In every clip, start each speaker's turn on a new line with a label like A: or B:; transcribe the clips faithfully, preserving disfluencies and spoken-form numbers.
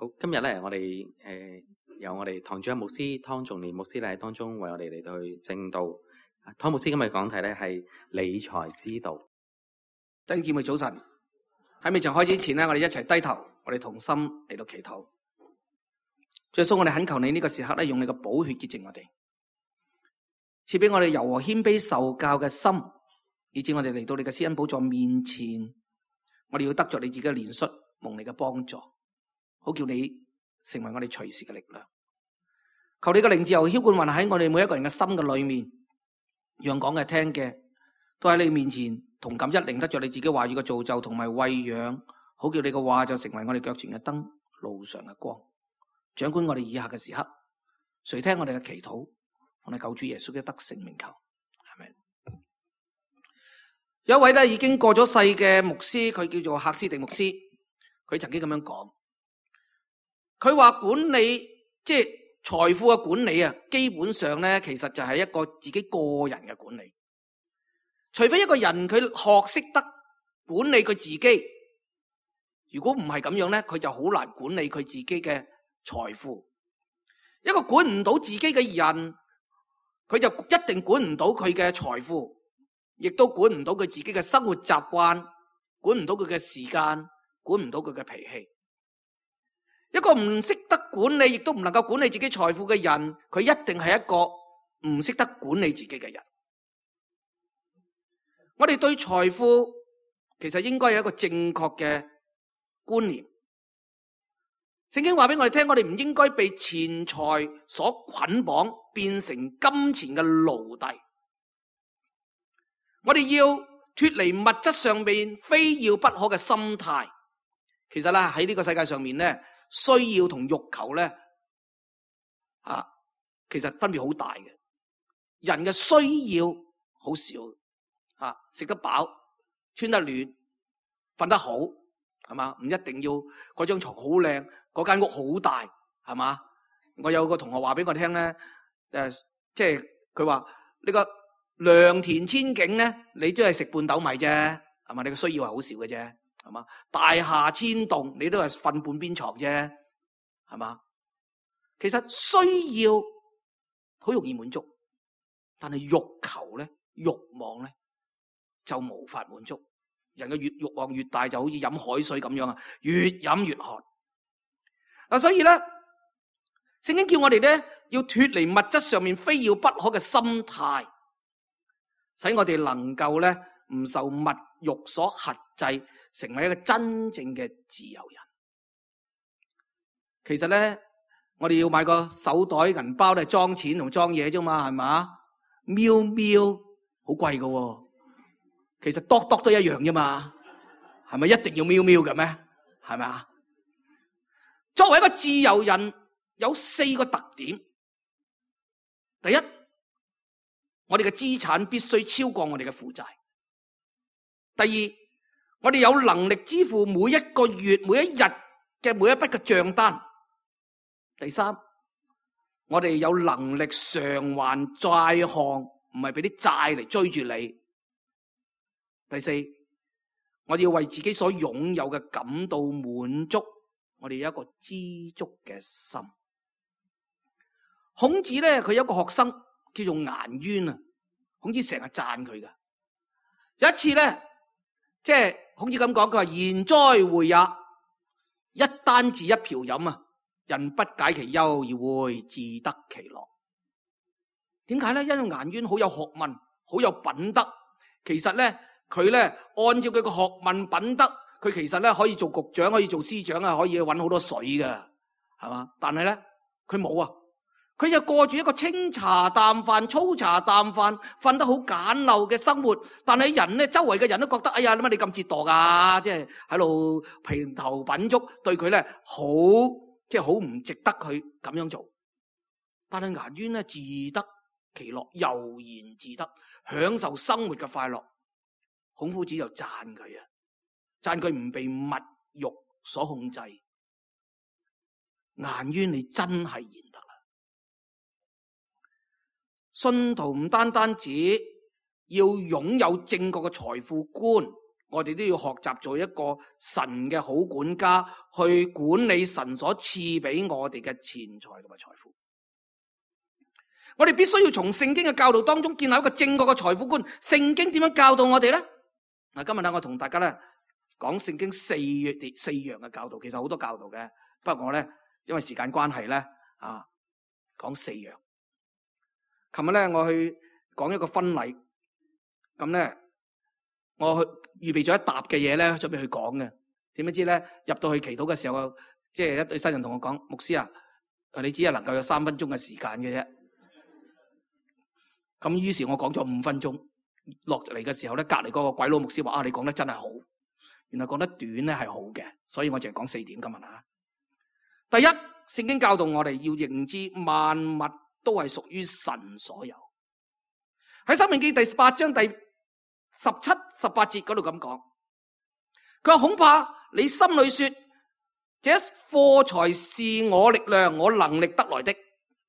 A: 好，今日咧，我哋誒、呃、由我哋堂主任牧師湯仲年牧師咧當中為我哋嚟到去證道。湯牧師今日講題咧係理財之道。
B: 弟兄姊妹早晨，喺未曾開始之前咧，我哋一齊低頭，我哋同心嚟到祈禱。主耶穌，我哋懇求你呢個時刻咧，用你嘅寶血潔淨我哋，賜俾我哋柔和謙卑受教嘅心，以致我哋嚟到你嘅施恩寶座面前，我哋要得着你自己嘅憐恤，蒙你嘅幫助。好叫你成為我哋隨時嘅力量，求你嘅靈自由澆灌運喺我哋每一個人嘅心嘅裏面，讓講嘅聽嘅都喺你面前同感一靈，得着你自己話語嘅造就同埋餵養，好叫你嘅話就成為我哋腳前嘅燈，路上嘅光，掌管我哋以下嘅時刻。垂聽我哋嘅祈禱，我哋救主耶穌嘅得勝名求，係咪？有一位咧已經過咗世嘅牧師，佢叫做赫斯迪牧師，佢曾經咁樣講。佢話管理即係財富嘅管理啊，基本上咧其實就係一個自己個人嘅管理。除非一個人佢學識得管理佢自己，如果唔係咁樣咧，佢就好難管理佢自己嘅財富。一個管唔到自己嘅人，佢就一定管唔到佢嘅財富，亦都管唔到佢自己嘅生活習慣，管唔到佢嘅時間，管唔到佢嘅脾氣。一個唔識得管理，亦都唔能夠管理自己財富嘅人，佢一定係一個唔識得管理自己嘅人。我哋對財富其實應該有一個正確嘅觀念。聖經話俾我哋聽，我哋唔應該被錢財所捆綁，變成金錢嘅奴隸。我哋要脫離物質上面非要不可嘅心態。其實咧喺呢個世界上面咧，需要同欲求咧，啊，其實分別好大嘅。人嘅需要好少，啊，食得飽、穿得暖、瞓得好，係嘛？唔一定要嗰張床好靚，嗰間屋好大，係嘛？我有個同學話俾我聽咧，誒、呃，即係佢話呢個良田千景咧，你都係食半斗米啫，係嘛？你嘅需要係好少嘅啫。係嘛？大廈千棟，你都係瞓半邊床啫，係嘛？其實需要好容易滿足，但係欲求咧、欲望咧就無法滿足。人嘅越欲望越大，就好似飲海水咁樣啊，越飲越渴。嗱，所以咧，聖經叫我哋咧要脫離物質上面非要不可嘅心態，使我哋能夠咧唔受物欲所轄制，成為一個真正嘅自由人。其實咧，我哋要買個手袋、銀包都係裝錢同裝嘢啫嘛，係嘛？喵喵好貴噶喎，其實多多都一樣啫嘛，係咪一定要喵喵嘅咩？係咪啊？作為一個自由人，有四個特點。第一，我哋嘅資產必須超過我哋嘅負債。第二，我哋有能力支付每一個月、每一日嘅每一筆嘅賬單。第三，我哋有能力償還債項，唔係俾啲債嚟追住你。第四，我哋要為自己所擁有嘅感到滿足，我哋有一個知足嘅心。孔子咧，佢有一個學生叫做顏淵啊，孔子成日讚佢噶。有一次咧，即係孔子咁講，佢話賢哉會也，一簞治一瓢飲啊，人不解其憂而會自得其樂。點解咧？因為顏淵好有學問，好有品德。其實咧，佢咧按照佢個學問品德，佢其實咧可以做局長，可以做司長啊，可以搵好多水噶，係嘛？但係咧，佢冇啊。佢就過住一個清茶淡飯、粗茶淡飯、瞓得好簡陋嘅生活，但係人咧，周圍嘅人都覺得，哎呀，點解你咁折墮噶？即係喺度評頭品足，對佢咧好，即係好唔值得佢咁樣做。但係顏淵咧自得其樂，悠然自得，享受生活嘅快樂。孔夫子就讚佢啊，讚佢唔被物欲所控制。顏淵你真係賢德啦！信徒唔單單止要擁有正確嘅財富觀，我哋都要學習做一個神嘅好管家，去管理神所賜俾我哋嘅錢財同埋財富。我哋必須要從聖經嘅教導當中建立一個正確嘅財富觀。聖經點樣教導我哋咧？嗱，今日咧我同大家咧講聖經四月四樣嘅教導，其實好多教導嘅，不過我咧因為時間關係咧啊，講四樣。琴日咧我去講一個婚禮，咁咧我去預備咗一沓嘅嘢咧，準備去講嘅。點不知咧入到去祈禱嘅時候，即係一對新人同我講：牧師啊，你只係能夠有三分鐘嘅時間嘅啫。咁於是我講咗五分鐘，落嚟嘅時候咧，隔籬嗰個鬼佬牧師話：啊，你講得真係好，原來講得短咧係好嘅，所以我淨係講四點今日啊。第一，聖經教導我哋要認知萬物都係屬於神所有。喺申命記第八章第十七、十八節嗰度咁講，佢話恐怕你心裏說，這貨財是我力量、我能力得來的。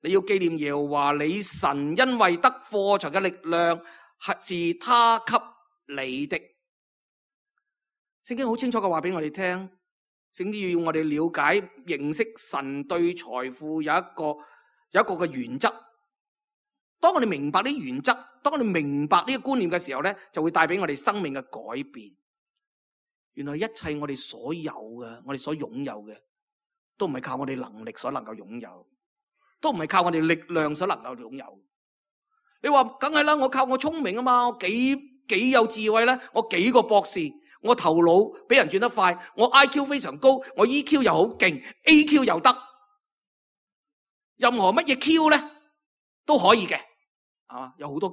B: 你要紀念耶和華你神，因為得貨財嘅力量係他給你的。聖經好清楚嘅話俾我哋聽，聖經要我哋了解認識神對財富有一個有一個嘅原則。當我哋明白呢原則，當我哋明白呢個觀念嘅時候咧，就會帶俾我哋生命嘅改變。原來一切我哋所有嘅，我哋所擁有嘅，都唔係靠我哋能力所能夠擁有。都唔係靠我哋力量所能夠擁有。你話梗係啦，我靠我聰明啊嘛，我幾幾有智慧咧，我幾個博士，我頭腦比人轉得快，我 I Q 非常高，我 E Q 又好勁 ，A Q 又得，任何乜嘢 Q 咧都可以嘅，係嘛？有好多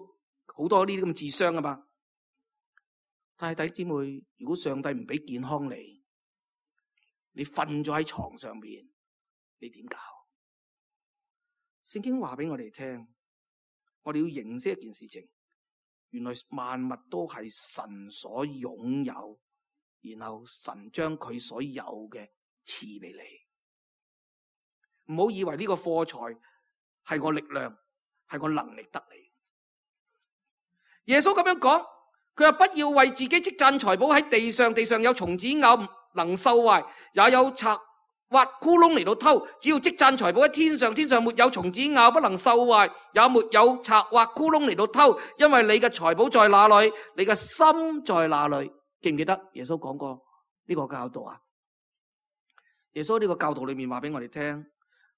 B: 好多呢啲咁嘅智商啊嘛。但係弟兄姊妹，如果上帝唔俾健康你，你瞓咗喺床上邊，你點搞？聖經話俾我哋聽，我哋要認識一件事情，原來萬物都係神所擁有，然後神將佢所有嘅賜俾你。唔好以為呢個貨財係我力量，係我能力得嚟。耶穌咁樣講，佢話不要為自己積攢財寶喺地上，地上有蟲子咬，能受壞，也有賊挖窟窿嚟到偷，只要積攢財寶喺天上，天上沒有蟲子咬，不能受壞，也沒有賊挖窟窿嚟到偷，因為你嘅財寶在哪裏，你嘅心在哪裏。記唔記得耶穌講過呢個教導啊？耶穌呢個教導裏面話俾我哋聽，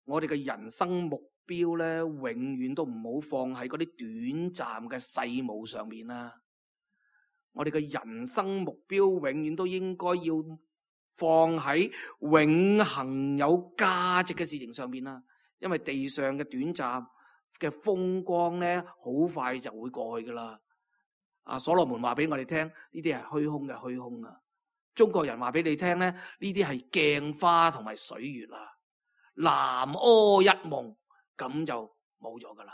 B: 我哋嘅人生目標咧，永遠都唔好放喺嗰啲短暫嘅世務上面啦。我哋嘅人生目標永遠都應該要放喺永恆有價值嘅事情上面啦，因為地上嘅短暫嘅風光咧，好快就會過去噶啦。啊，所羅門話俾我哋聽，呢啲係虛空嘅虛空啊。中國人話俾你聽咧，呢啲係鏡花同埋水月啊，南柯一夢，咁就冇咗噶啦。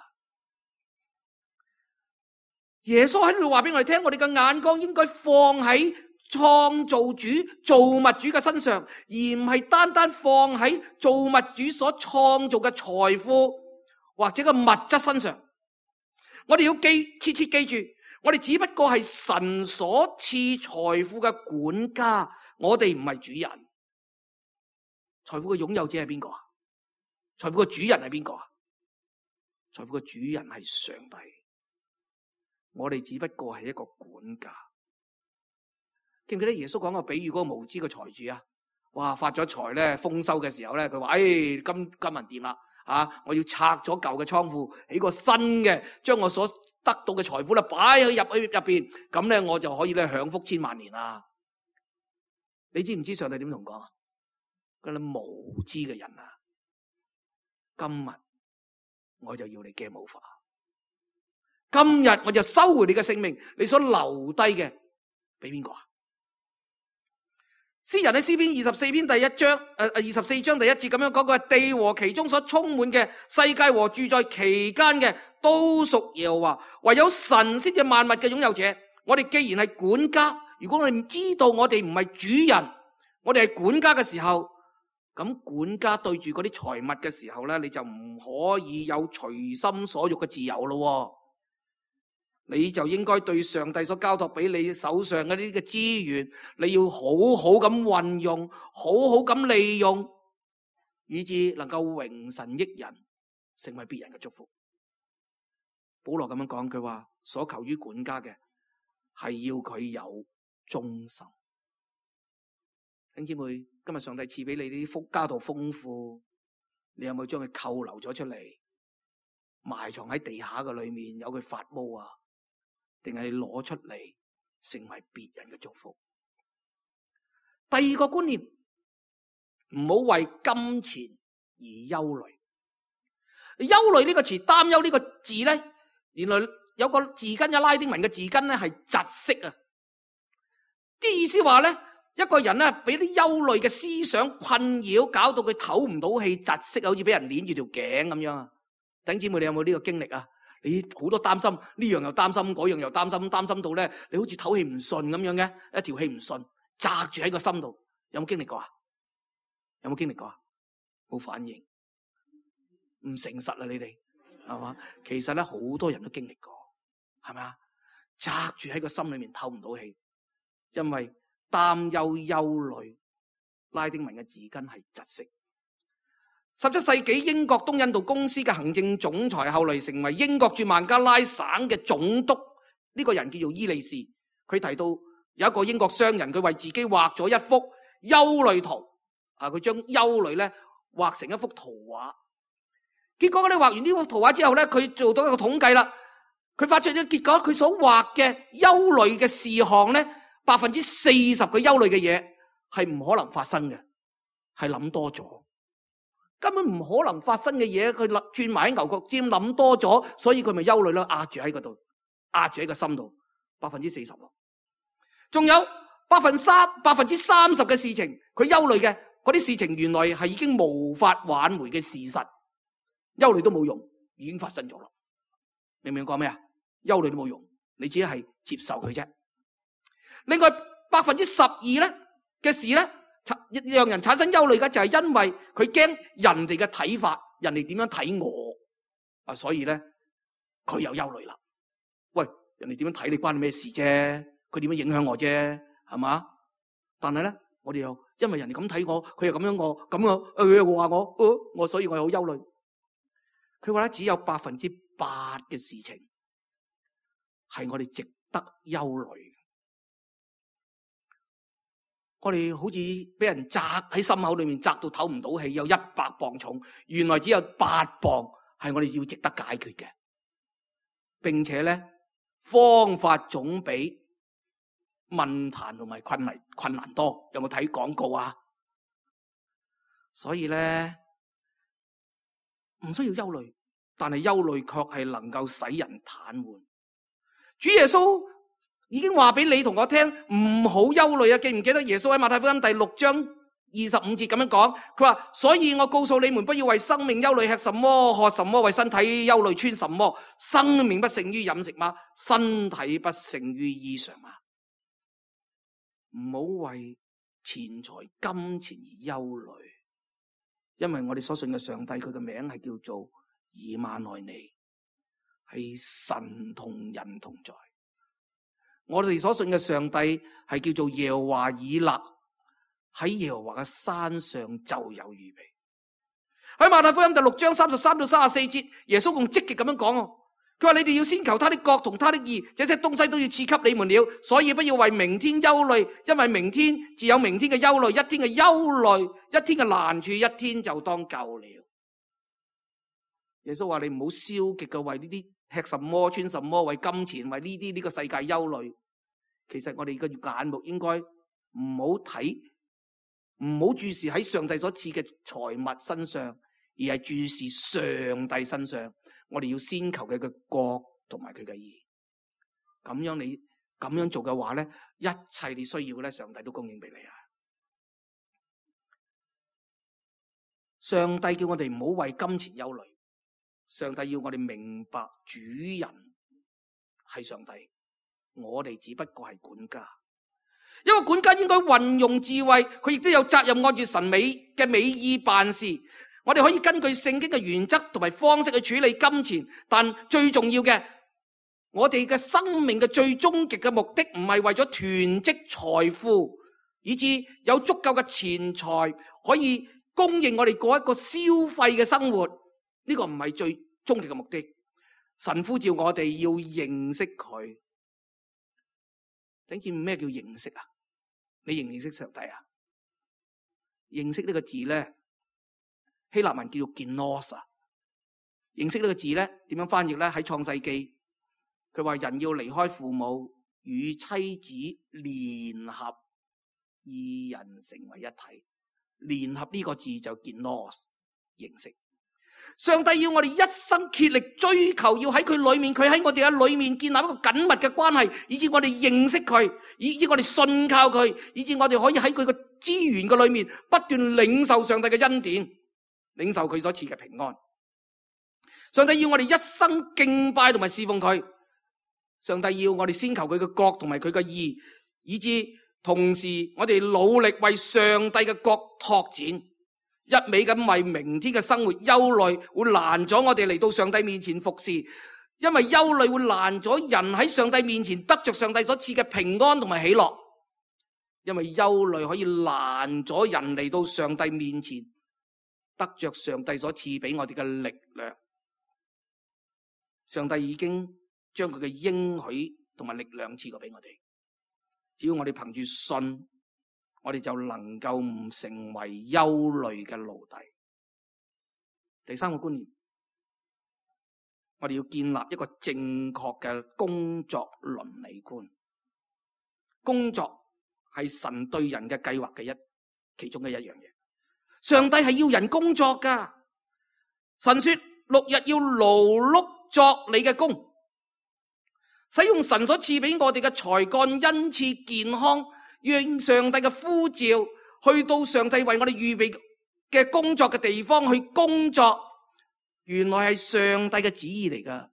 B: 耶穌喺呢度話俾我哋聽，我哋嘅眼光應該放喺創造主、造物主嘅身上，而唔係單單放喺造物主所創造嘅財富或者個物質身上。我哋要記切切記住，我哋只不過係神所賜財富嘅管家，我哋唔係主人。財富嘅擁有者係邊個啊？財富嘅主人係邊個啊？財富嘅主人係上帝，我哋只不過係一個管家。記唔記得耶穌講個比喻，嗰個無知嘅財主啊？哇，發咗財咧，豐收嘅時候咧，佢話：，誒、哎，金金銀掂啦，啊，我要拆咗舊嘅倉庫，起個新嘅，將我所得到嘅財富咧擺去入去入邊，咁咧我就可以咧享福千萬年啦。你知唔知上帝點同講啊？嗰啲無知嘅人啊，今日我就要你驚冇法，今日我就收回你嘅性命，你所留低嘅俾邊個啊？詩人喺詩篇二十四篇第一章，誒、呃、二十四章第一節咁樣講，佢話地和其中所充滿嘅，世界和住在其間嘅，都屬耶和華，唯有神先至萬物嘅擁有者。我哋既然係管家，如果我哋唔知道我哋唔係主人，我哋係管家嘅時候，咁管家對住嗰啲財物嘅時候咧，你就唔可以有隨心所欲嘅自由咯。你就應該對上帝所交託俾你手上嘅呢啲嘅資源，你要好好咁運用，好好咁利用，以致能夠榮神益人，成為別人嘅祝福。保羅咁樣講，佢話所求於管家嘅係要佢有忠心。弟兄姊妹，今日上帝賜俾你呢啲福家道豐富，你有冇將佢扣留咗出嚟，埋藏喺地下嘅裏面，有佢發毛啊？定係你攞出嚟成為別人嘅祝福？第二個觀念，唔好為金錢而憂慮。憂慮呢個詞，擔憂呢個字咧，原來有個字根，有拉丁文嘅字根咧係窒息啊。啲意思話咧，一個人咧俾啲憂慮嘅思想困擾，搞到佢唞唔到氣，窒息，好似俾人捏住條頸咁樣啊。弟兄姊妹，你有冇呢個經歷啊？你好多擔心，呢樣又擔心，嗰樣又擔心，擔心到咧，你好似唞氣唔順咁樣嘅，一條氣唔順，扎住喺個心度。有冇經歷過啊？有冇經歷過啊？冇反應，唔誠實啊！你哋係嘛？其實咧，好多人都經歷過，係咪啊？扎住喺個心裏面唞唔到氣，因為擔憂、憂慮，拉丁文嘅字根係窒息。十七世紀英國東印度公司嘅行政總裁，後嚟成為英國駐孟加拉省嘅總督，呢個人叫做伊利士。佢提到有一個英國商人，佢為自己畫咗一幅憂慮圖，啊，佢將憂慮咧畫成一幅圖畫。結果咧，畫完呢幅圖畫之後咧，佢做到一個統計啦，佢發出咗結果，佢所畫嘅憂慮嘅事項咧，百分之四十嘅憂慮嘅嘢係唔可能發生嘅，係諗多咗。根本唔可能發生嘅嘢，佢轉埋喺牛角尖諗多咗，所以佢咪憂慮咯，壓住喺嗰度，壓住喺個心度，百分之四十咯。仲有百分三百分之三十嘅事情，佢憂慮嘅嗰啲事情，原來係已經無法挽回嘅事實，憂慮都冇用，已經發生咗咯。明唔明我講咩啊？憂慮都冇用，你只係接受佢啫。另外百分之十二咧嘅事咧，讓人產生憂慮嘅就係因為佢驚人哋嘅睇法，人哋點樣睇我啊，所以咧佢有憂慮啦。喂，人哋點樣睇你關你咩事啫？佢點樣影響我啫？係嘛？但係咧，我哋又因為人哋咁睇我，佢又咁樣我，咁我佢又話我，呃、我所以我又好憂慮。佢話咧，只有百分之八嘅事情係我哋值得憂慮。我哋好似俾人扎喺心口裏面，扎到唞唔到氣，有一百磅重，原來只有八磅係我哋要值得解決嘅，並且咧方法總比問題同埋困難困難多。有冇睇廣告啊？所以咧唔需要憂慮，但係憂慮卻係能夠使人癱瘓。主耶穌已經話俾你同我聽，唔好憂慮啊！記唔記得耶穌喺馬太福音第六章二十五節咁樣講？佢話：所以我告訴你們，不要為生命憂慮，吃什麼喝什麼；為身體憂慮，穿什麼。生命不勝於飲食嗎？身體不勝於衣裳嗎？唔好為錢財金錢而憂慮，因為我哋所信嘅上帝，佢嘅名係叫做以馬內利，係神同人同在。我哋所信嘅上帝係叫做耶和華以勒，喺耶和華嘅山上就有預備。喺馬太福音第六章三十三到三十四節，耶穌咁積極咁樣講，佢話：你哋要先求他的國同他的義，這些東西都要賜給你們了。所以不要為明天憂慮，因為明天自有明天嘅憂慮，一天嘅憂慮，一天嘅難處，一天就當夠了。耶穌話：你唔好消極嘅為呢啲吃什麼穿什麼，為金錢，為呢啲呢個世界憂慮。其實我哋嘅眼目應該唔好睇，唔好注視喺上帝所賜嘅財物身上，而係注視上帝身上。我哋要先求佢嘅國同埋佢嘅義。咁樣你咁樣做嘅話咧，一切你需要嘅咧，上帝都供應俾你啊！上帝叫我哋唔好為金錢憂慮。上帝要我哋明白主人係上帝，我哋只不過係管家。一個管家應該運用智慧，佢亦都有責任按住神美嘅美意辦事。我哋可以根據聖經嘅原則同埋方式去處理金錢，但最重要嘅，我哋嘅生命嘅最終極嘅目的唔係為咗囤積財富，以致有足夠嘅錢財可以供應我哋過一個消費嘅生活。呢個唔係最終極嘅目的。神呼召我哋要認識佢。你知咩叫認識啊？你認唔認識上帝啊？認識呢個字咧，希臘文叫做 gnosis。認識呢個字咧，點樣翻譯咧？喺創世記，佢話人要離開父母，與妻子聯合，二人成為一體。聯合呢個字就 gnosis，認識。上帝要我哋一生竭力追求，要喺佢裏面，佢喺我哋嘅裏面建立一個緊密嘅關係，以致我哋認識佢，以致我哋信靠佢，以致我哋可以喺佢嘅資源嘅裏面不斷領受上帝嘅恩典，領受佢所賜嘅平安。上帝要我哋一生敬拜同埋侍奉佢。上帝要我哋先求佢嘅國同埋佢嘅義，以致同時我哋努力為上帝嘅國拓展。一味咁為明天嘅生活憂慮，會攔咗我哋嚟到上帝面前服侍。因為憂慮會攔咗人喺上帝面前得着上帝所賜嘅平安同埋喜樂。因為憂慮可以攔咗人嚟到上帝面前得着上帝所賜俾我哋嘅力量。上帝已經將佢嘅應許同埋力量賜過俾我哋，只要我哋憑住信，我哋就能夠唔成為憂慮嘅奴隸。第三個觀念，我哋要建立一個正確嘅工作倫理觀。工作係神對人嘅計劃嘅一其中嘅一樣嘢。上帝係要人工作噶。神說六日要勞碌作你嘅工，使用神所賜俾我哋嘅才幹、恩賜、健康，讓上帝嘅呼召去到上帝為我哋預備嘅工作嘅地方去工作，原來係上帝嘅旨意嚟噶。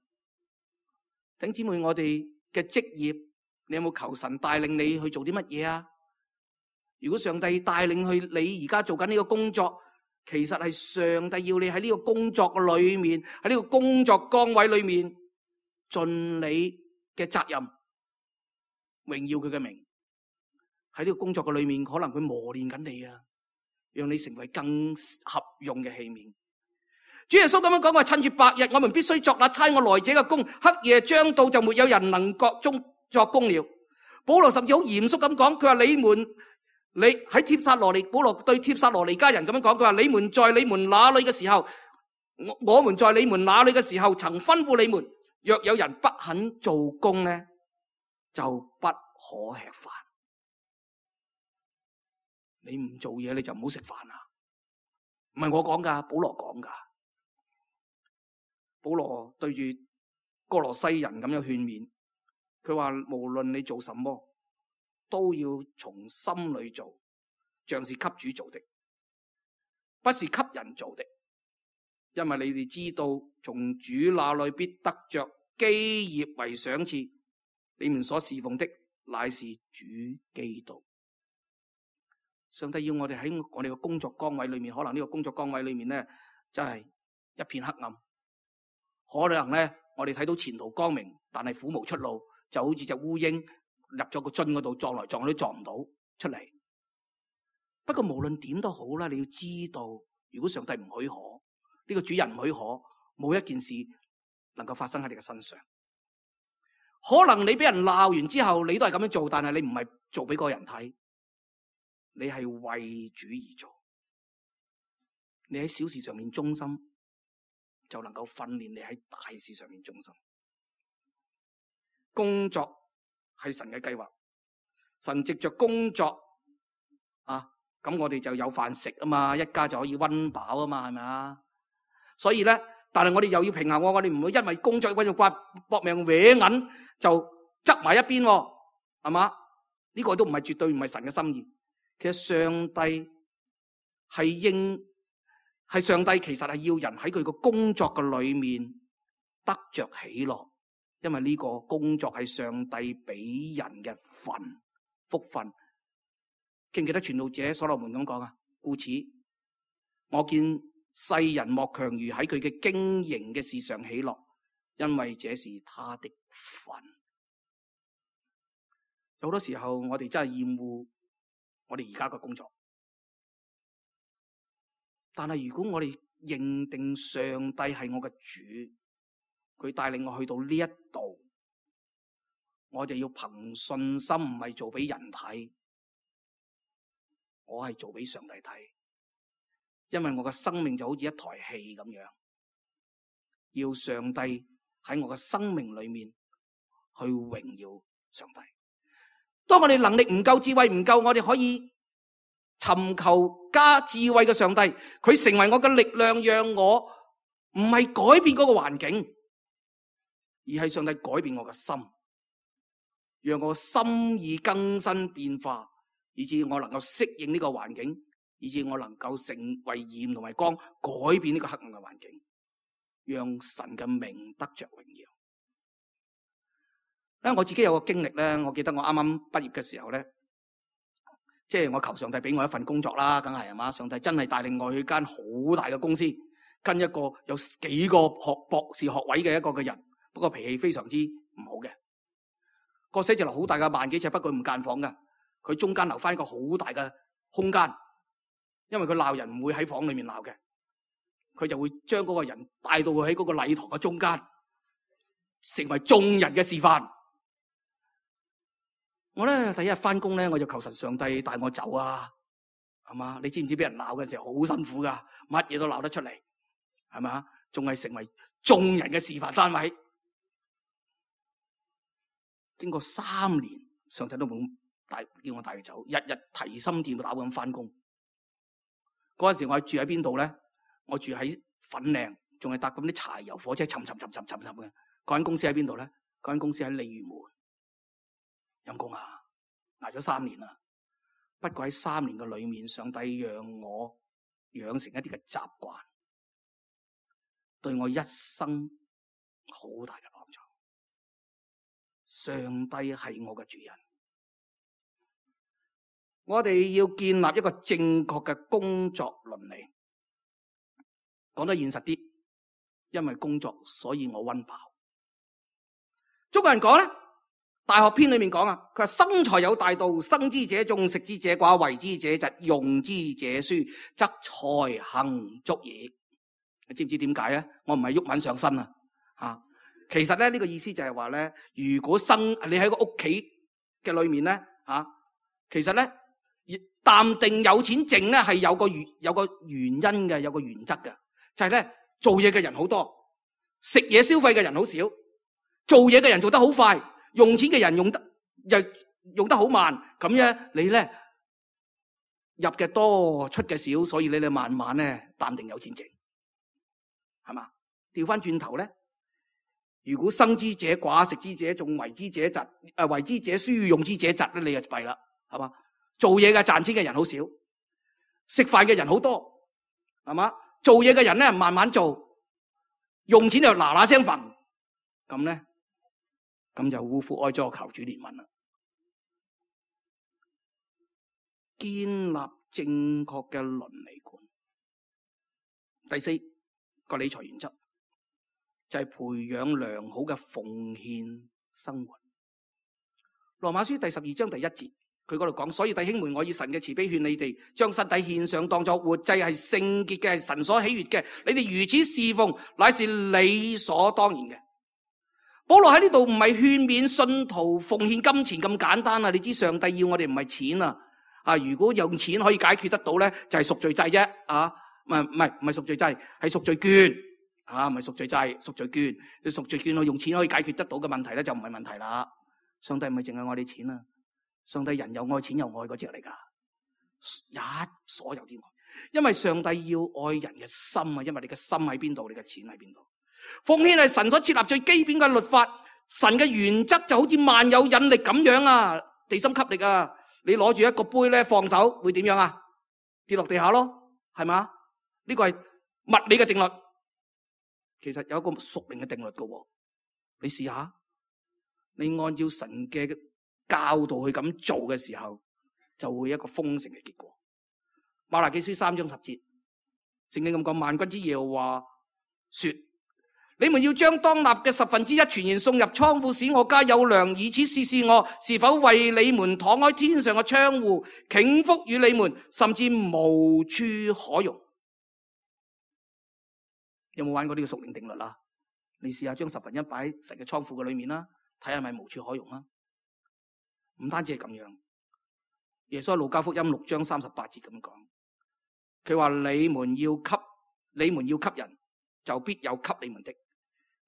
B: 弟兄姊妹，我哋嘅職業，你有冇求神帶領你去做啲乜嘢啊？如果上帝帶領去你而家做緊呢個工作，其實係上帝要你喺呢個工作嘅裏面，喺呢個工作崗位裏面盡你嘅責任，榮耀佢嘅名。喺呢個工作嘅裏面，可能佢磨練緊你啊，讓你成為更合用嘅器皿。主耶穌咁樣講話：趁住白日，我們必須作那差我來者嘅工；黑夜將到，就沒有人能各中作工了。保羅甚至好嚴肅咁講，佢話：你們你喺帖撒羅尼，保羅對帖撒羅尼迦人咁樣講，佢話：你們在你們那裏嘅時候，我我們在你們那裏嘅時候，曾吩咐你們，若有人不肯做工呢，就不可吃飯。你唔做嘢，你就唔好食飯啊！唔係我講噶，保羅講噶。保羅對住哥羅西人咁樣勸勉，佢話：無論你做什麼，都要從心裏做，像是給主做的，不是給人做的。因為你哋知道，從主那裏必得着基業為賞賜。你們所侍奉的乃是主基督。上帝要我哋喺我哋嘅工作崗位裏面，可能呢個工作崗位裏面咧，真係一片黑暗。可能咧，我哋睇到前途光明，但係苦無出路，就好似隻烏蠅入咗個樽嗰度，撞來撞去都撞唔到出嚟。不過無論點都好啦，你要知道，如果上帝唔許可，呢個主人唔許可，冇一件事能夠發生喺你嘅身上。可能你俾人鬧完之後，你都係咁樣做，但係你唔係做俾個人睇。你係為主而做，你喺小事上面忠心，就能夠訓練你喺大事上面忠心。工作係神嘅計劃，神藉着工作啊，咁我哋就有飯食啊嘛，一家就可以溫飽啊嘛，係咪啊？所以咧，但係我哋又要平衡，我哋唔會因為工作為咗掛搏命搲銀就執埋一邊，係嘛？呢個都唔係絕對唔係神嘅心意。其實上帝係應係上帝，其實係要人喺佢個工作嘅裏面得着喜樂，因為呢個工作係上帝俾人嘅份福分。記唔記得傳道者所羅門咁講啊？故此，我見世人莫強如喺佢嘅經營嘅事上喜樂，因為這是他的份。有好多時候我哋真係厭惡我哋而家嘅工作，但係如果我哋認定上帝係我嘅主，佢帶領我去到呢一度，我就要憑信心，唔係做俾人睇，我係做俾上帝睇。因為我嘅生命就好似一台戲咁樣，要上帝喺我嘅生命裏面去榮耀上帝。當我哋能力唔夠，智慧唔夠，我哋可以尋求加智慧嘅上帝，佢成為我嘅力量，讓我唔係改變嗰個環境，而係上帝改變我嘅心，讓我心意更新變化，以致我能夠適應呢個環境，以致我能夠成為鹽同埋光，改變呢個黑暗嘅環境，讓神嘅名得着榮耀。咧我自己有個經歷咧，我記得我啱啱畢業嘅時候咧，即係我求上帝俾我一份工作啦，梗係係嘛，上帝真係帶領我去間好大嘅公司，跟一個有幾個學博士學位嘅一個嘅人，不過脾氣非常之唔好嘅。個寫字樓好大嘅，萬幾尺，不過唔間房噶，佢中間留翻一個好大嘅空間，因為佢鬧人唔會喺房裏面鬧嘅，佢就會將嗰個人帶到佢喺嗰個禮堂嘅中間，成為眾人嘅示範。我咧第一日翻工咧，我就求神上帝帶我走啊，係嘛？你知唔知俾人鬧嘅時候好辛苦噶，乜嘢都鬧得出嚟，係嘛？仲係成為眾人嘅示範單位。經過三年，上帝都冇帶叫我帶佢走，日日提心吊膽咁翻工。嗰陣時我住喺邊度咧？我住喺粉嶺，仲係搭咁啲柴油火車，沉沉沉沉沉沉嘅。嗰間公司喺邊度咧？嗰間公司喺鯉魚門。陰公啊，挨咗三年啦。不過喺三年嘅裏面，上帝讓我養成一啲嘅習慣，對我一生好大嘅幫助。上帝係我嘅主人，我哋要建立一個正確嘅工作倫理。講得現實啲，因為工作，所以我溫飽。中國人講咧，大學篇裏面講啊，佢話生財有大道，生之者眾，食之者寡，為之者疾，用之者疏，則財行足矣。你知唔知點解咧？我唔係郁文上身啊，吓，其實咧呢個意思就係話咧，如果生你喺個屋企嘅裏面咧，吓，其實咧淡定有錢剩咧係有個原有個原因嘅，有個原則嘅，就係咧做嘢嘅人好多，食嘢消費嘅人好少，做嘢嘅人做得好快。用錢嘅人用得又用得好慢，咁樣你咧入嘅多出嘅少，所以你哋慢慢咧淡定有錢剩，係嘛？調翻轉頭咧，如果生之者寡，食之者眾，為之者疾，誒為之者疏，用之者疾咧，你就弊啦，係嘛？做嘢嘅賺錢嘅人好少，食飯嘅人好多，係嘛？做嘢嘅人咧慢慢做，用錢就嗱嗱聲瞓，咁咧。咁就嗚呼哀哉，求主憐憫啦。建立正確嘅倫理觀。第四個理財原則就係培養良好嘅奉獻生活。羅馬書第十二章第一節，佢嗰度講，所以弟兄們，我以神嘅慈悲勸你哋，將身體獻上，當作活祭，係聖潔嘅，係神所喜悅嘅。你哋如此侍奉，乃是理所當然嘅。保羅喺呢度唔係勸勉信徒奉獻金錢咁簡單啊！你知上帝要我哋唔係錢啊！啊，如果用錢可以解決得到咧，就係贖罪祭啫啊！唔係唔係唔係贖罪祭，係贖罪券啊！唔係贖罪祭，贖罪券。你贖罪券我用錢可以解決得到嘅問題咧，就唔係問題啦。上帝唔係淨係愛你錢啊！上帝人又愛錢又愛嗰隻嚟噶，一所有之愛。因為上帝要愛人嘅心啊！因為你嘅心喺邊度，你嘅錢喺邊度。奉獻係神所設立最基本嘅律法，神嘅原則就好似萬有引力咁樣啊，地心吸力啊，你攞住一個杯咧，放手會點樣啊？跌落地下咯，係嘛？呢個係物理嘅定律，其實有一個屬靈嘅定律噶，你試下，你按照神嘅教導去咁做嘅時候，就會一個豐盛嘅結果。馬拉基書三章十節，聖經咁講，萬軍之耶和華說。你們要將當納嘅十分之一全然送入倉庫，使我家有糧，以此試試我是否為你們敞開天上嘅窗戶，傾福與你們，甚至無處可容。有冇玩過呢個屬靈定律啦？你試下將十分一擺喺神嘅倉庫嘅裏面啦，睇下係咪無處可容啦？唔單止係咁樣，耶穌喺路加福音六章三十八節咁講，佢話你們要給你們要給人，就必有給你們的，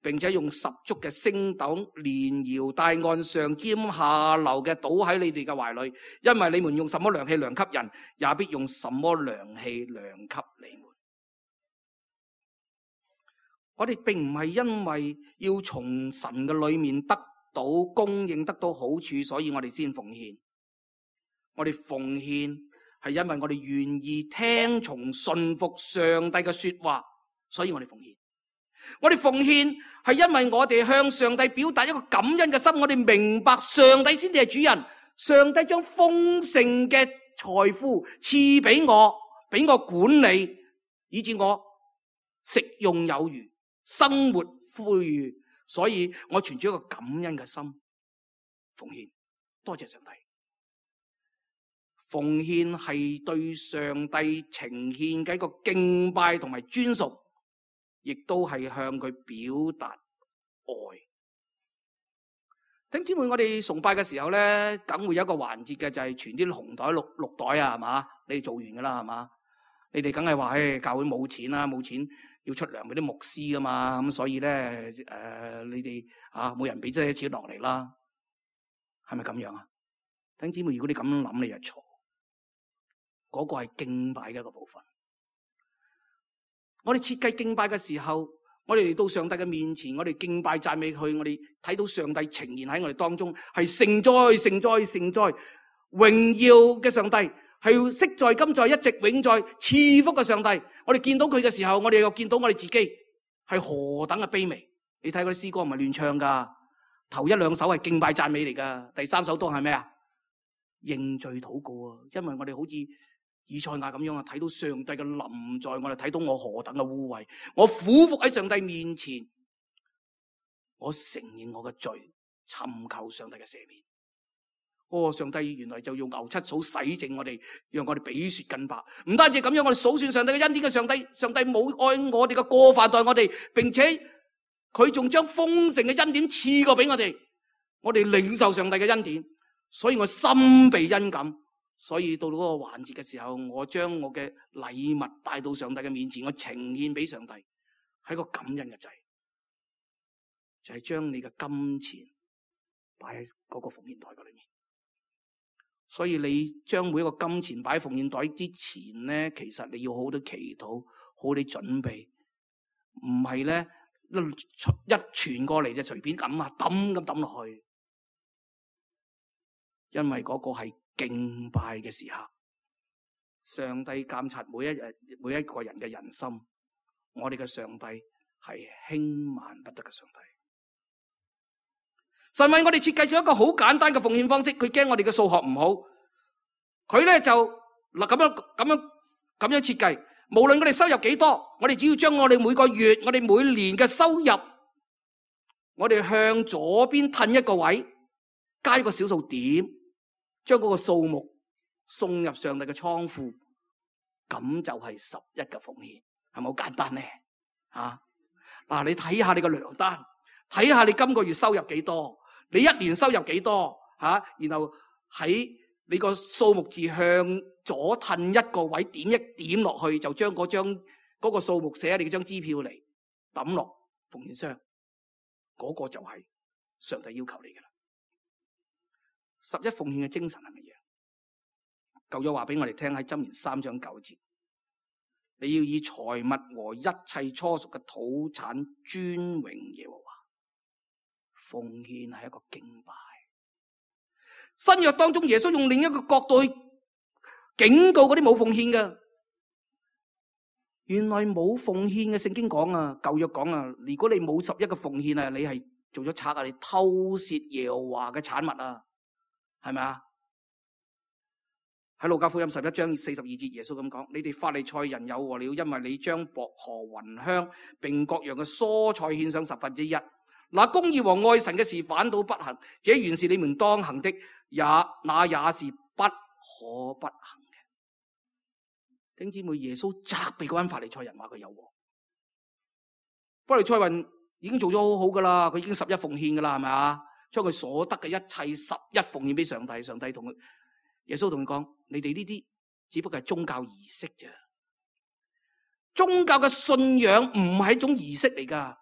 B: 並且用十足嘅升斗連搖帶按上尖下流嘅倒喺你哋嘅懷裏，因為你們用什麼量器量給人，也必用什麼量器量給你們。我哋並唔係因為要從神嘅裏面得到供應，得到好處，所以我哋先奉獻。我哋奉獻係因為我哋願意聽從順服上帝嘅說話，所以我哋奉獻。我哋奉獻係因為我哋向上帝表達一個感恩嘅心，我哋明白上帝先至係主人，上帝將豐盛嘅財富賜俾我，俾我管理，以致我食用有餘，生活富裕，所以我存住一個感恩嘅心奉獻。多謝上帝。奉獻係對上帝呈獻嘅一個敬拜同埋尊崇，亦都係向佢表達愛。弟兄姊妹，我哋崇拜嘅時候咧，梗會有一個環節嘅，就係傳啲紅袋綠綠袋啊，係嘛？你哋做完噶啦，係嘛？你哋梗係話，誒，教會冇錢啦，冇錢要出糧俾啲牧師噶嘛，咁所以咧，誒、呃，你哋啊，每人俾啲錢落嚟啦，係咪咁樣啊？弟兄姊妹，如果你咁樣諗，你就錯。嗰個係敬拜嘅一個部分。我哋設計敬拜嘅時候，我哋嚟到上帝嘅面前，我哋敬拜讚美佢，我哋睇到上帝呈現喺我哋當中，係聖哉聖哉聖哉榮耀嘅上帝，係昔在今在一直永在賜福嘅上帝。我哋見到佢嘅時候，我哋又見到我哋自己係何等嘅卑微。你睇嗰啲詩歌唔係亂唱噶，頭一兩首係敬拜讚美嚟噶，第三首都係咩啊？認罪禱告啊！因為我哋好似以賽亞咁樣啊，睇到上帝嘅臨在，我哋睇到我何等嘅污穢，我俯伏喺上帝面前，我承認我嘅罪，尋求上帝嘅赦免。哦，上帝原來就用牛七草洗淨我哋，讓我哋比雪更白。唔單止咁樣，我哋數算上帝嘅恩典嘅上帝，上帝冇按我哋嘅過犯待我哋，並且佢仲將豐盛嘅恩典賜過俾我哋，我哋領受上帝嘅恩典，所以我心被恩感。所以到到嗰個環節嘅時候，我將我嘅禮物帶到上帝嘅面前，我呈獻俾上帝，係個感恩嘅祭，就係將你嘅金錢擺喺嗰個奉獻袋嘅裏面。所以你將每一個金錢擺喺奉獻袋之前咧，其實你要好好地祈禱，好好地準備，唔係咧一傳過嚟就隨便咁啊抌咁抌落去，因為嗰個係敬拜嘅時刻，上帝監察每一日每一個人嘅人心，我哋嘅上帝係輕慢不得嘅上帝。神為我哋設計咗一個好簡單嘅奉獻方式，佢驚我哋嘅數學唔好，佢咧就嗱咁樣咁樣咁樣設計，無論我哋收入幾多，我哋只要將我哋每個月我哋每年嘅收入，我哋向左邊褪一個位，加一個小數點，將嗰個數目送入上帝嘅倉庫，咁就係十一嘅奉獻，係咪好簡單咧？啊，嗱，你睇下你個糧單，睇下你今個月收入幾多，你一年收入幾多吓，啊，然後喺你個數目字向左褪一個位，點一點落去，就將嗰張嗰個數目寫喺你嗰張支票嚟抌落奉獻箱，嗰個就係上帝要求你嘅啦。十一奉獻嘅精神係乜嘢？舊約話俾我哋聽喺箴言三章九節，你要以財物和一切初熟嘅土產尊榮耶和華。奉獻係一個敬拜。新約當中，耶穌用另一個角度去警告嗰啲冇奉獻嘅。原來冇奉獻嘅聖經講啊，舊約講啊，如果你冇十一個奉獻啊，你係做咗賊啊，你偷竊耶和華嘅產物啊。係咪啊？喺路加福音十一章四十二節，耶穌咁講：你哋法利賽人有禍了，因為你將薄荷、雲香並各樣嘅蔬菜獻上十分之一，那公義和愛神嘅事反倒不行，這原是你們當行的，也那也是不可不行嘅。弟兄姊妹，耶穌責備嗰班法利賽人話佢有禍。法利賽人已經做咗好好噶啦，佢已經十一奉獻噶啦，係咪啊？將佢所得嘅一切十一奉獻俾上帝，上帝同佢。耶穌同佢講：你哋呢啲只不過係宗教儀式啫，宗教嘅信仰唔係一種儀式嚟噶，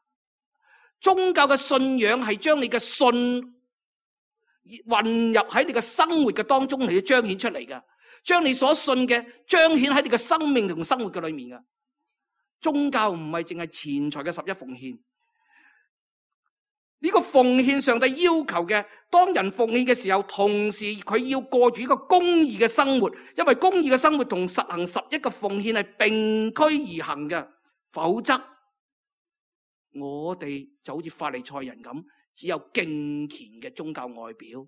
B: 宗教嘅信仰係將你嘅信混入喺你嘅生活嘅當中嚟彰顯出嚟噶，將你所信嘅彰顯喺你嘅生命同生活嘅裏面噶。宗教唔係淨係錢財嘅十一奉獻。呢個奉獻上帝要求嘅，當人奉獻嘅時候，同時佢要過住一個公義嘅生活，因為公義嘅生活同實行十一嘅奉獻係並驅而行嘅，否則我哋就好似法利賽人咁，只有敬虔嘅宗教外表，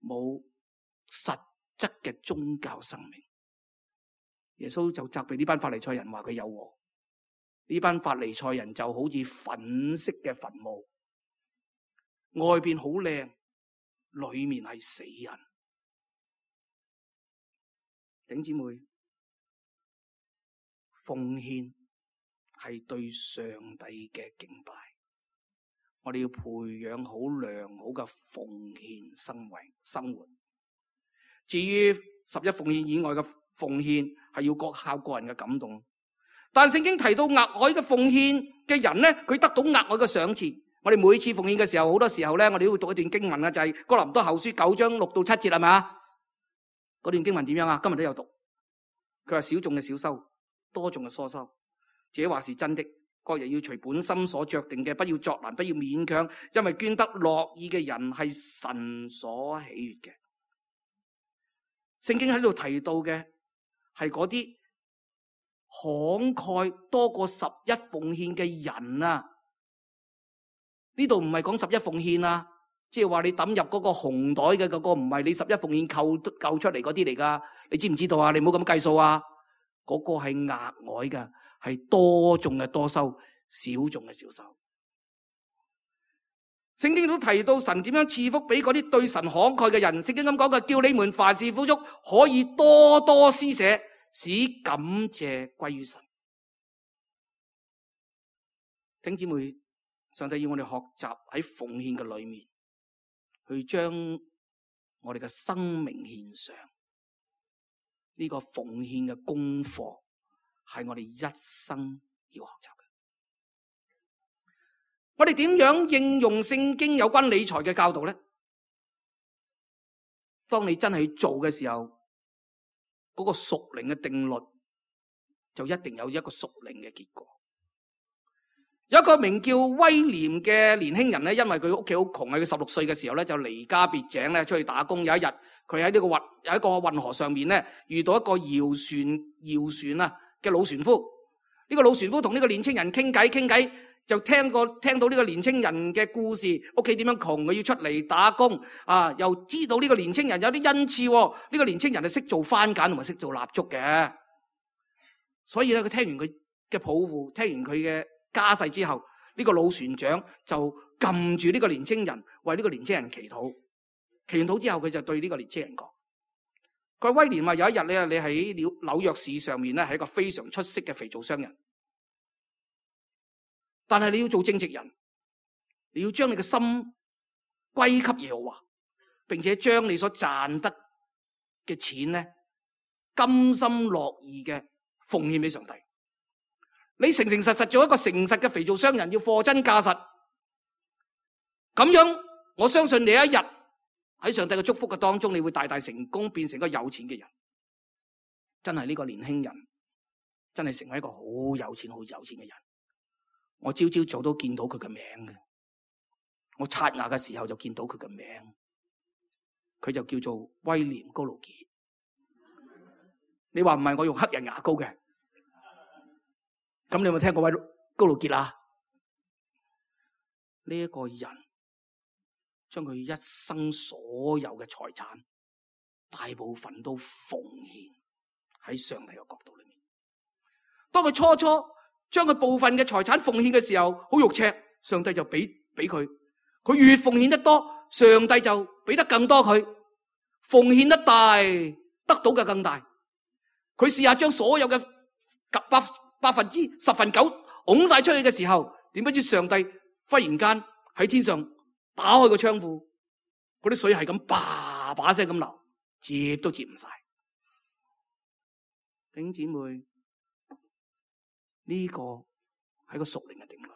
B: 冇實質嘅宗教生命。耶穌就責備呢班法利賽人話佢有禍，呢班法利賽人就好似粉色嘅墳墓。外邊好靚，裏面係死人。弟兄姊妹，奉獻係對上帝嘅敬拜，我哋要培養好良好嘅奉獻生為生活。至於十一奉獻以外嘅奉獻，係要各靠個人嘅感動。但聖經提到額外嘅奉獻嘅人咧，佢得到額外嘅賞賜。我哋每次奉獻嘅時候，好多時候咧，我哋都會讀一段經文啊，就係哥林多後書九章六到七節，係咪啊？嗰段經文點樣啊？今日都有讀。佢話：少種嘅少收，多種嘅多收。這話是真的。各人要隨本心所酌定嘅，不要作難，不要勉強，因為捐得樂意嘅人係神所喜悅嘅。聖經喺度提到嘅係嗰啲慷慨多過十一奉獻嘅人啊！呢度唔係講十一奉獻啊，即係話你抌入嗰個紅袋嘅嗰個唔係你十一奉獻扣扣出嚟嗰啲嚟噶，你知唔知道啊？你唔好咁計數啊！嗰個係額外嘅，係多種嘅多收，少種嘅少收。聖經都提到神點樣賜福俾嗰啲對神慷慨嘅人。聖經咁講嘅，叫你們凡事富足，可以多多施捨，使感謝歸於神。弟兄姊妹，上帝要我哋學習喺奉獻嘅裏面，去將我哋嘅生命獻上。呢個奉獻嘅功課係我哋一生要學習嘅。我哋點樣應用聖經有關理財嘅教導咧？當你真係去做嘅時候，嗰個屬靈嘅定律就一定有一個屬靈嘅結果。有一個名叫威廉嘅年輕人咧，因為佢屋企好窮，喺佢十六歲嘅時候咧就離家別井咧出去打工。有一日，佢喺呢個運有一個運河上面咧遇到一個搖船搖船啊嘅老船夫。呢個老船夫同呢個年青人傾偈傾偈，就聽過聽到呢個年青人嘅故事，屋企點樣窮，佢要出嚟打工啊，又知道呢個年青人有啲恩賜。呢個年青人係識做番梘同埋識做蠟燭嘅，所以咧佢聽完佢嘅抱負，聽完佢嘅家世之後，呢個老船長就撳住呢個年青人，為呢個年青人祈禱。祈完禱之後，佢就對呢個年青人講：佢話威廉話有一日咧，你喺紐紐約市上面咧係一個非常出色嘅肥皂商人，但係你要做正直人，你要將你嘅心歸給耶和華，並且將你所賺得嘅錢咧甘心樂意嘅奉獻俾上帝。你誠誠實實做一個誠實嘅肥皂商人，要貨真價實。咁樣，我相信你一日喺上帝嘅祝福嘅當中，你會大大成功，變成一個有錢嘅人。真係呢個年輕人，真係成為一個好有錢、好有錢嘅人。我朝朝早都見到佢嘅名嘅，我刷牙嘅時候就見到佢嘅名。佢就叫做威廉高盧傑。你話唔係我用黑人牙膏嘅？咁你有冇聽過位高盧傑啊？呢一個人將佢一生所有嘅財產大部分都奉獻喺上帝嘅角度裏面。當佢初初將佢部分嘅財產奉獻嘅時候，好肉赤，上帝就俾俾佢。佢越奉獻得多，上帝就俾得更多佢。奉獻得大，得到嘅更大。佢試下將所有嘅百百分之十分九拱晒出去嘅時候，點不知上帝忽然間喺天上打開個窗戶，嗰啲水係咁叭叭聲咁流，接都接唔晒。弟兄姊妹，呢個係個屬靈嘅定律。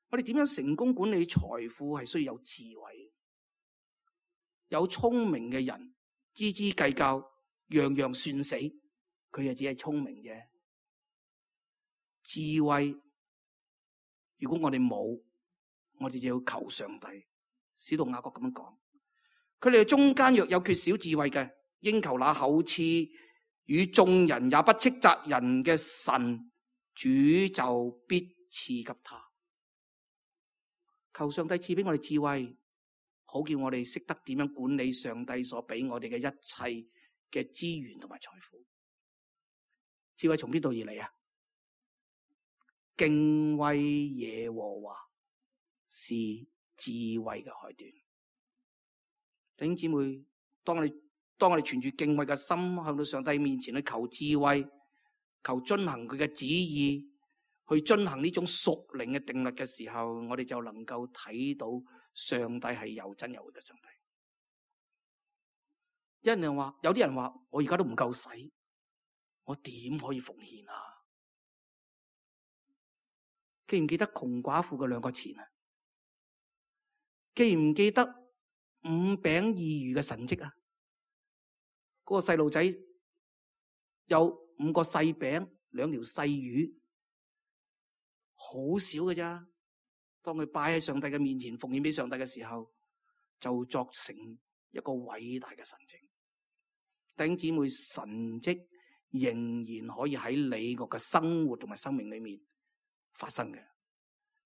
B: 我哋點樣成功管理財富係需要有智慧。有聰明嘅人斤斤計較，樣樣算死，佢就只係聰明啫。智慧，如果我哋冇，我哋就要求上帝。使徒雅各咁樣講，佢哋中間若有缺少智慧嘅，應求那厚賜與眾人也不斥責人嘅神，主就必賜給他。求上帝賜俾我哋智慧，好叫我哋識得點樣管理上帝所俾我哋嘅一切嘅資源同埋財富。智慧從邊度而嚟啊？敬畏耶和華是智慧嘅開端。弟兄姊妹，當我哋當我哋存住敬畏嘅心，向到上帝面前去求智慧，求遵行佢嘅旨意，去遵行呢種屬靈嘅定律嘅時候，我哋就能夠睇到上帝係有真有活嘅上帝。有人話，有啲人話，我而家都唔夠使，我點可以奉獻啊？記唔記得窮寡婦嘅兩個錢啊？記唔記得五餅二魚嘅神蹟啊？嗰、那個細路仔有五個細餅，兩條細魚，好少嘅咋。當佢擺喺上帝嘅面前奉獻俾上帝嘅時候，就作成一個偉大嘅神蹟。弟兄姊妹，神蹟仍然可以喺你個嘅生活同埋生命裏面發生嘅，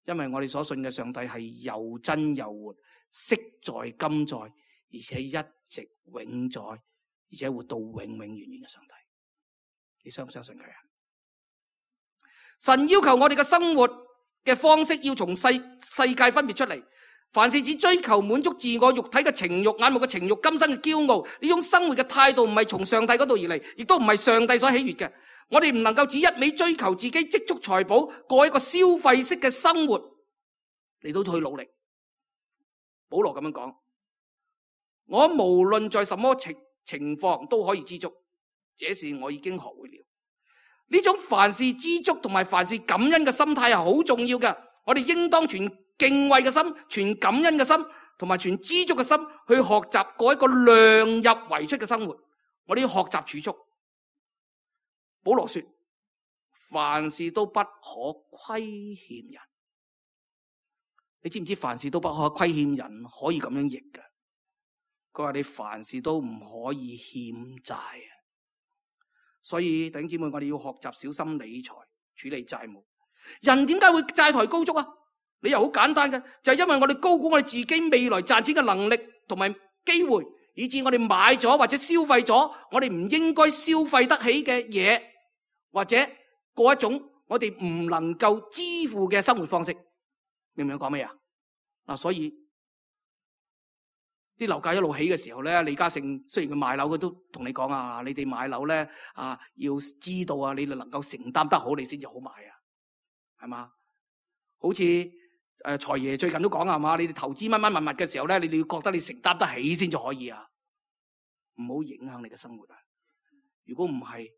B: 因為我哋所信嘅上帝係又真又活，昔在今在，而且一直永在，而且活到永永遠遠嘅上帝。你相唔相信佢啊？神要求我哋嘅生活嘅方式要從世世界分別出嚟，凡是只追求滿足自我肉體嘅情慾、眼目嘅情慾、今生嘅驕傲，呢種生活嘅態度唔係從上帝嗰度而嚟，亦都唔係上帝所喜悅嘅。我哋唔能夠只一味追求自己積蓄財寶，過一個消費式嘅生活嚟到去努力。保羅咁樣講，我無論在什麼情情況都可以知足，這是我已經學會了。呢種凡事知足同埋凡事感恩嘅心態係好重要嘅。我哋應當存敬畏嘅心，存感恩嘅心，同埋存知足嘅心去學習過一個量入為出嘅生活。我哋要學習儲蓄。保羅說，凡事都不可虧欠人。你知唔知凡事都不可虧欠人可以咁樣譯嘅？佢話你凡事都唔可以欠債啊！所以弟兄姊妹，我哋要學習小心理財，處理債務。人點解會債台高築啊？理由好簡單嘅，就係因為我哋高估我哋自己未來賺錢嘅能力同埋機會，以致我哋買咗或者消費咗我哋唔應該消費得起嘅嘢，或者過一種我哋唔能夠支付嘅生活方式。明唔明我講咩啊？嗱，所以啲樓價一路起嘅時候咧，李嘉誠雖然佢賣樓，佢都同你講啊，你哋買樓咧啊，要知道啊，你哋能夠承擔得好，你先至好買啊，係嘛？好似誒財爺最近都講啊嘛，你哋投資乜乜物物嘅時候咧，你哋要覺得你承擔得起先至可以啊，唔好影響你嘅生活啊！如果唔係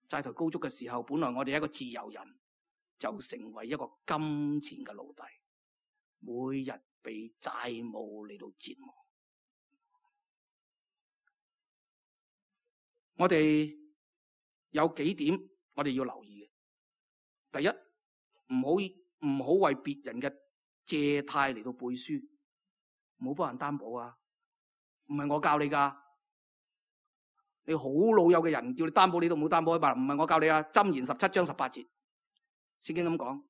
B: 債台高築嘅時候，本來我哋一個自由人，就成為一個金錢嘅奴隸，每日被債務嚟到折磨。我哋有幾點我哋要留意嘅。第一，唔好唔好為別人嘅借貸嚟到背書，唔好幫人擔保啊！唔係我教你噶，你好老友嘅人叫你擔保，你都唔好擔保啊！唔係我教你啊，箴言十七章十八節，聖經咁講：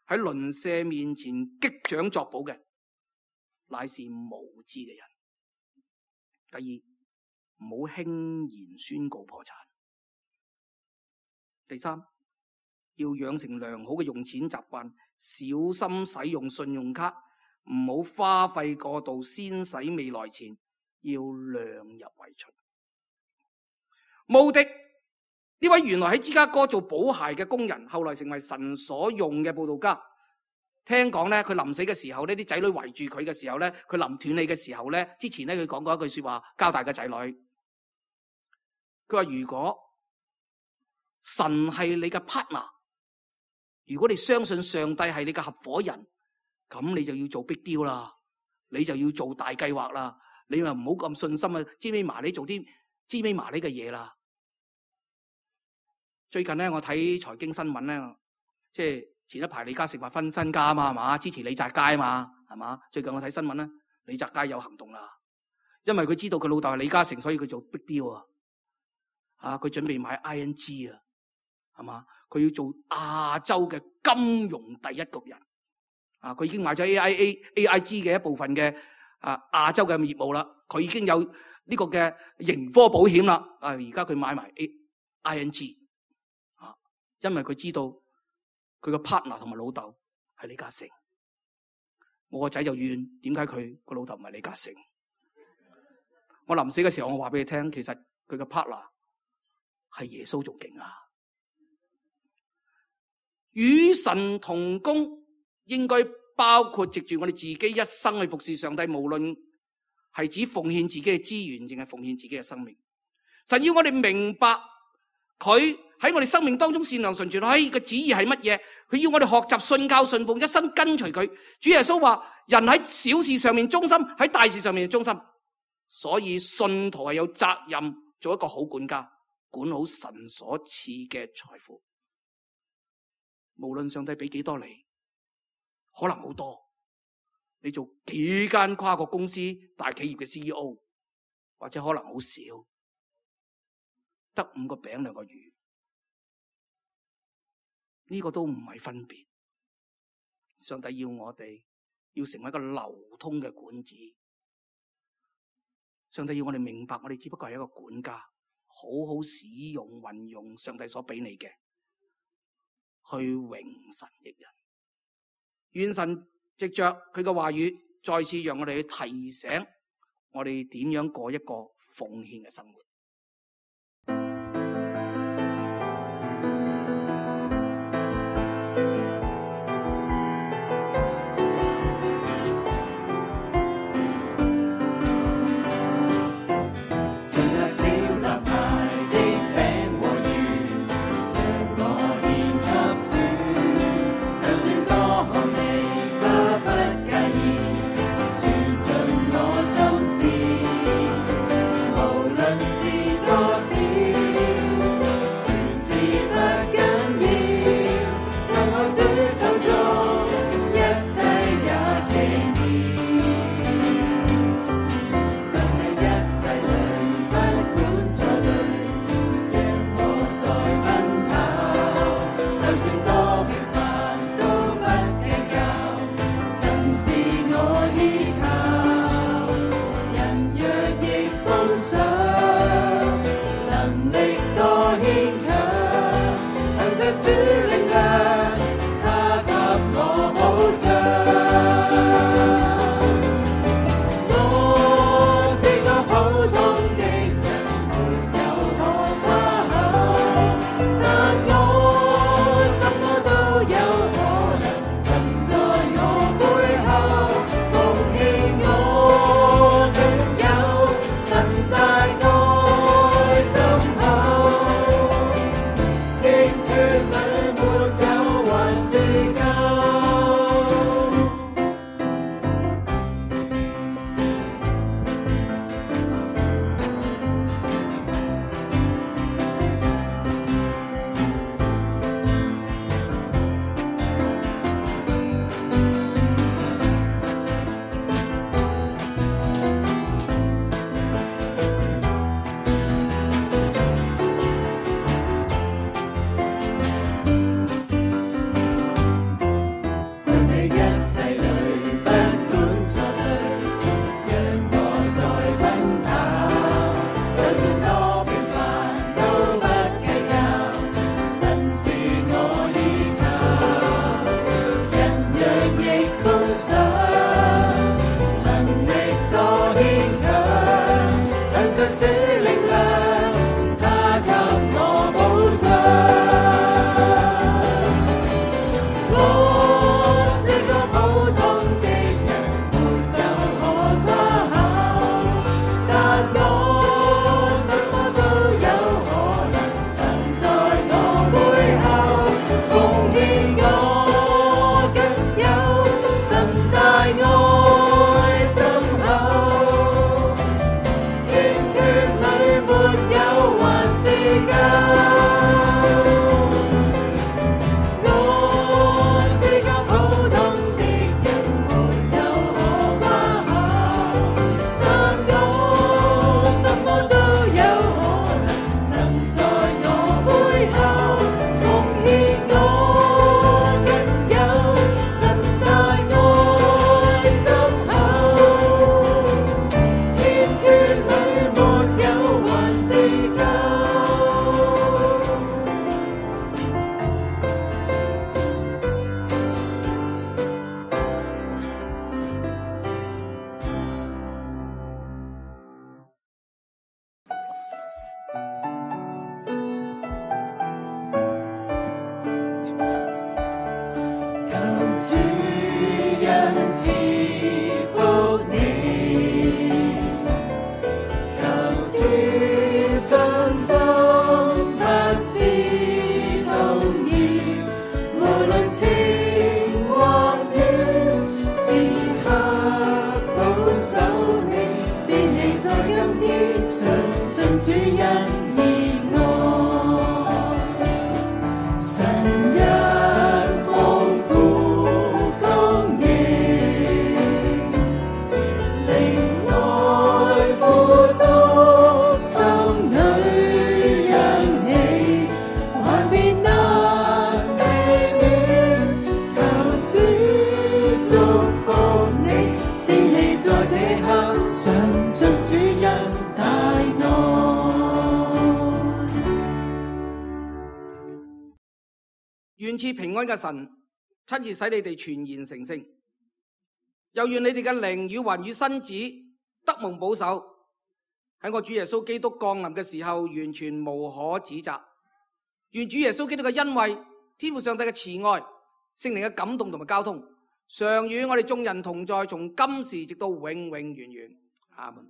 B: 喺鄰舍面前擊掌作保嘅，乃是無知嘅人。第二，唔好輕言宣告破產。第三，要養成良好嘅用錢習慣，小心使用信用卡，唔好花費過度，先使未來錢，要量入為出。慕迪呢位原來喺芝加哥做補鞋嘅工人，後來成為神所用嘅佈道家。聽講咧，佢臨死嘅時候呢，啲仔女圍住佢嘅時候咧，佢臨斷氣嘅時候咧，之前咧佢講過一句說話，交代個仔女。佢話如果神係你嘅 partner， 如果你相信上帝係你嘅合夥人，咁你就要做 big deal 啦，你就要做大計劃啦，你咪唔好咁信心啊，知尾麻你做啲知尾麻你嘅嘢啦。最近咧，我睇財經新聞咧，即係前一排李嘉誠話分身家啊嘛，係嘛，支持李澤楷啊嘛，係嘛。最近我睇新聞咧，李澤楷有行動啦，因為佢知道佢老豆係李嘉誠，所以佢做 big deal 啊。啊，佢準備買 I N G 啊，係嘛，佢要做亞洲嘅金融第一局人。啊，佢已經買咗 A I A A I G 嘅一部分嘅啊亞洲嘅業務啦，佢已經有呢個嘅盈科保險啦。啊，而家佢買埋 I N G。因為佢知道佢個 partner 同埋老豆係李嘉誠，我個仔就怨點解佢個老豆唔係李嘉誠。我臨死嘅時候，我話俾佢聽，其實佢個 partner 係耶穌仲勁啊！與神同工應該包括藉住我哋自己一生去服侍上帝，無論係指奉獻自己嘅資源，淨係奉獻自己嘅生命。神要我哋明白佢喺我哋生命當中善良純全，喺個旨意係乜嘢？佢要我哋學習信靠信奉，一生跟隨佢。主耶穌話：人喺小事上面忠心，喺大事上面忠心。所以信徒係有責任做一個好管家，管好神所賜嘅財富。無論上帝俾幾多你，可能好多，你做幾間跨國公司大企業嘅 C E O， 或者可能好少，得五個餅兩個魚。呢個都唔係分別，上帝要我哋要成為一個流通嘅管子。上帝要我哋明白，我哋只不過係一個管家，好好使用運用上帝所俾你嘅，去榮神益人。願神藉着佢嘅話語，再次讓我哋去提醒我哋點樣過一個奉獻嘅生活。
C: 主恩賜福你，求主傷心不知動搖，無論晴或雨，時刻保守你，使你在今天嘗盡主恩熱愛。神恩豐富供應，靈愛富足，心裏欣喜，還別難避免。求主祝福你，使你在這刻嘗盡主恩大愛。
B: 願賜平安嘅神親自使你哋全然成聖，又願你哋嘅靈與魂與身子得蒙保守，喺我主耶穌基督降臨嘅時候完全無可指責。願主耶穌基督嘅恩惠、天父上帝嘅慈愛、聖靈嘅感動同埋交通，常與我哋眾人同在，從今時直到永永遠遠。阿門。